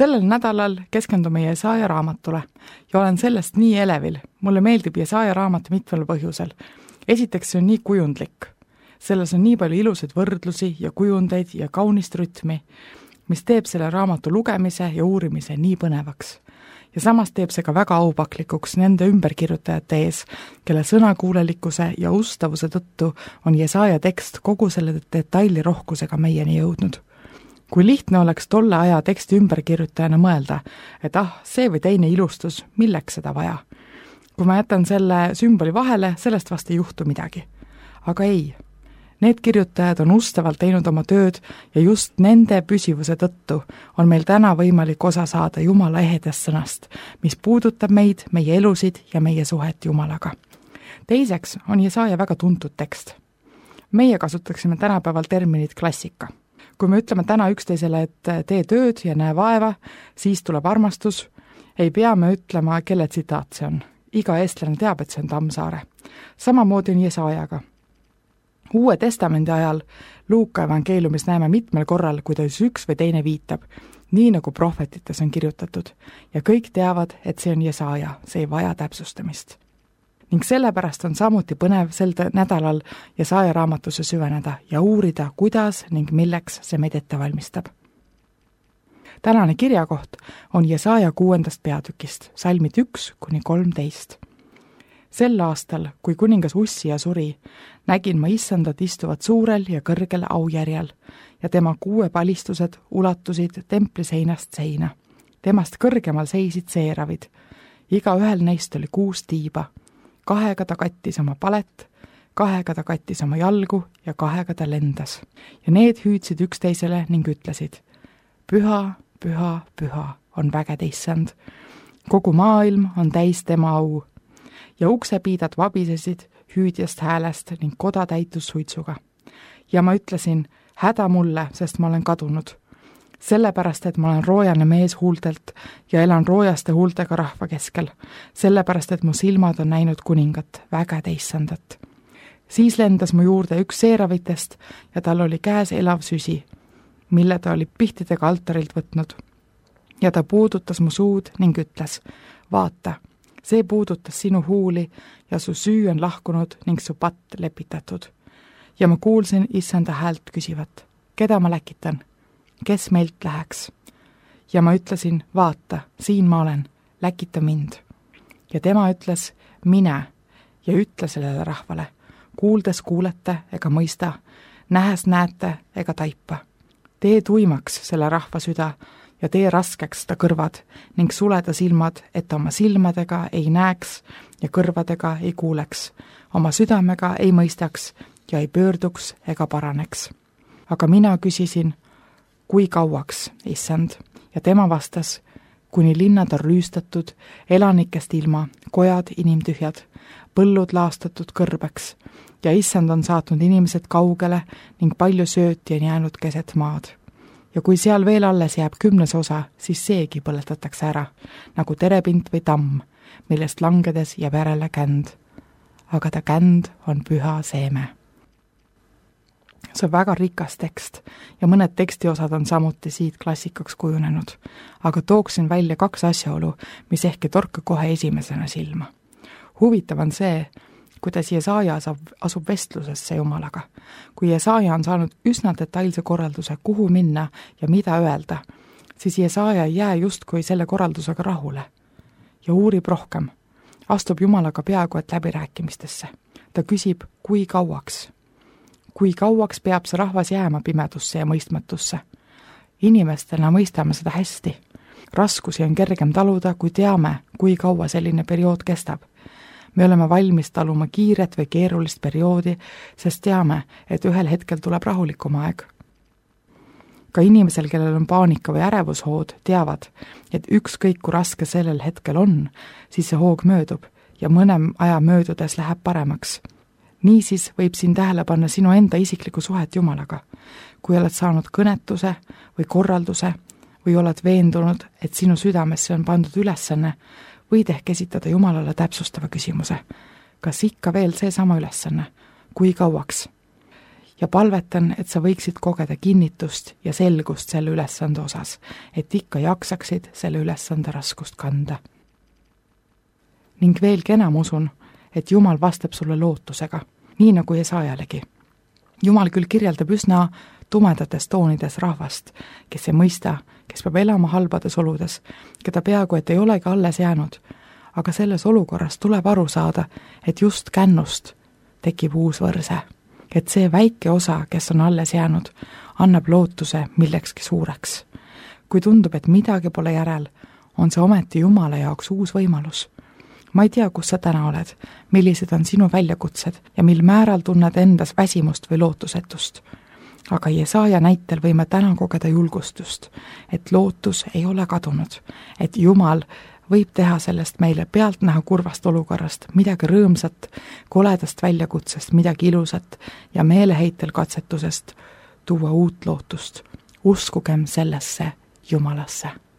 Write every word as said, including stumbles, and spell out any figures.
Sellel nädalal keskendume Jesaja raamatule ja olen sellest nii elevil. Mulle meeldib Jesaja raamat mitmel põhjusel. Esiteks see on nii kujundlik. Selles on nii palju ilusaid võrdlusi ja kujundeid ja kaunist rütmi, mis teeb selle raamatu lugemise ja uurimise nii põnevaks. Ja samas teeb see ka väga aupaklikuks nende ümberkirjutajate ees, kelle sõnakuulelikkuse ja ustavuse tõttu on Jesaja tekst kogu selle detaili rohkusega meieni jõudnud. Kui lihtne oleks tolle aja teksti ümberkirjutajana mõelda, et ah, see või teine ilustus, milleks seda vaja. Kui ma jätan selle sümboli vahele, sellest vast ei juhtu midagi. Aga ei. Need kirjutajad on ustavalt teinud oma tööd ja just nende püsivuse tõttu on meil täna võimalik osa saada Jumala ehedest sõnast, mis puudutab meid, meie elusid ja meie suhet Jumalaga. Teiseks on Jesaja väga tuntud tekst. Meie kasutaksime tänapäeval terminit klassika. Kui me ütleme täna üksteisele, et tee tööd ja näe vaeva, siis tuleb armastus, ei pea me ütlema, kelle tsitaat see on. Iga eestlane teab, et see on Tammsaare. Samamoodi on Jesajaga. Uue testamendi ajal Luuka evangeeliumis näeme mitmel korral, kuidas üks või teine viitab, nii nagu prohvetites on kirjutatud, ja kõik teavad, et see on Jesaja, see ei vaja täpsustamist. Ning sellepärast on samuti põnev sel nädalal Jesaja raamatusse süveneda ja uurida, kuidas ning milleks see meid ette valmistab. Tänane kirjakoht on Jesaja kuuendast peatükist, salmid üks kuni kolmteist. Sel aastal, kui kuningas Ussia suri, nägin ma issandat istuvat suurel ja kõrgel aujärjel ja tema kuue palistused ulatusid templi seinast seina. Temast kõrgemal seisid seeravid. Iga ühel neist oli kuus tiiba. Kahega ta kattis oma palet, kahega ta kattis oma jalgu ja kahega ta lendas. Ja need hüüdsid üksteisele ning ütlesid, püha, püha, püha on vägede issand. Kogu maailm on täis tema au. Ja uksepiidad vabisesid hüüdjast häälest ning koda täitus suitsuga. Ja ma ütlesin, häda mulle, sest ma olen kadunud. Sellepärast, et ma olen roojane mees huultelt ja elan roojaste huultega rahva keskel. Sellepärast, et mu silmad on näinud kuningat, vägede issandat. Siis lendas mu juurde üks seeravitest ja tal oli käes elav süsi, mille ta oli pihtidega altarilt võtnud. Ja ta puudutas mu suud ning ütles, vaata, see puudutas sinu huuli ja su süü on lahkunud ning su patt lepitatud. Ja ma kuulsin issanda häält küsivat, keda ma läkitan, kes meilt läheks. Ja ma ütlesin, vaata, siin ma olen, läkita mind. Ja tema ütles, mine ja ütle sellele rahvale, kuuldes kuulete ega mõista, nähes näete ega taipa. Tee tuimaks selle rahva süda ja tee raskeks ta kõrvad ning suleda silmad, et oma silmadega ei näeks ja kõrvadega ei kuuleks, oma südamega ei mõistaks ja ei pöörduks ega paraneks. Aga mina küsisin, kui kauaks, issand, ja tema vastas, kuni linnad on rüüstatud, elanikest ilma, kojad inimtühjad, põllud laastatud kõrbeks ja issand on saatnud inimesed kaugele ning palju sööti on jäänud keset maad. Ja kui seal veel alles jääb kümnes osa, siis seegi põletatakse ära, nagu terepint või tamm, millest langedes jääb järele känd. Aga ta känd on püha seeme. See on väga rikas tekst ja mõned tekstiosad on samuti siit klassikaks kujunenud, aga tooksin välja kaks asjaolu, mis ehk ei torka kohe esimesena silma. Huvitav on see, kuidas Jesaja asub vestlusesse Jumalaga. Kui Jesaja on saanud üsna detailse korralduse, kuhu minna ja mida öelda, siis Jesaja ei jää justkui selle korraldusega rahule ja uurib rohkem. Astub Jumalaga peaaegu et läbirääkimistesse. Ta küsib, kui kauaks. Kui kauaks peab see rahvas jääma pimedusse ja mõistmatusse. Inimestena mõistame seda hästi. Raskusi on kergem taluda, kui teame, kui kaua selline periood kestab. Me oleme valmis taluma kiiret või keerulist perioodi, sest teame, et ühel hetkel tuleb rahulikum aeg. Ka inimesel, kellel on paanika või ärevushood, teavad, et ükskõik kui raske sellel hetkel on, siis see hoog möödub ja mõne aja möödudes läheb paremaks. Niisiis võib siin tähele panna sinu enda isikliku suhet Jumalaga. Kui oled saanud kõnetuse või korralduse või oled veendunud, et sinu südamesse on pandud ülesanne, võid ehk esitada Jumalale täpsustava küsimuse. Kas ikka veel see sama ülesanne? Kui kauaks? ja palvetan, et sa võiksid kogeda kinnitust ja selgust selle ülesande osas, et ikka jaksaksid selle ülesande raskust kanda. Ning veelgi enam usun, et Jumal vastab sulle lootusega, nii nagu Jesaajalegi. Jumal küll kirjeldab üsna tumedates toonides rahvast, kes ei mõista, kes peab elama halbades oludes, keda peaaegu et ei olegi alles jäänud, aga selles olukorras tuleb aru saada, et just kännust tekib uus võrse, et see väike osa, kes on alles jäänud, annab lootuse millekski suureks. Kui tundub, et midagi pole järel, on see ometi Jumala jaoks uus võimalus. Ma ei tea, kus sa täna oled, millised on sinu väljakutsed ja mil määral tunned endas väsimust või lootusetust. Aga Jesaaja näitel võime täna kogeda julgustust, et lootus ei ole kadunud, et Jumal võib teha sellest meile pealtnäha kurvast olukorrast midagi rõõmsat, koledast väljakutsest midagi ilusat ja meeleheitel katsetusest tuua uut lootust. Uskugem sellesse Jumalasse.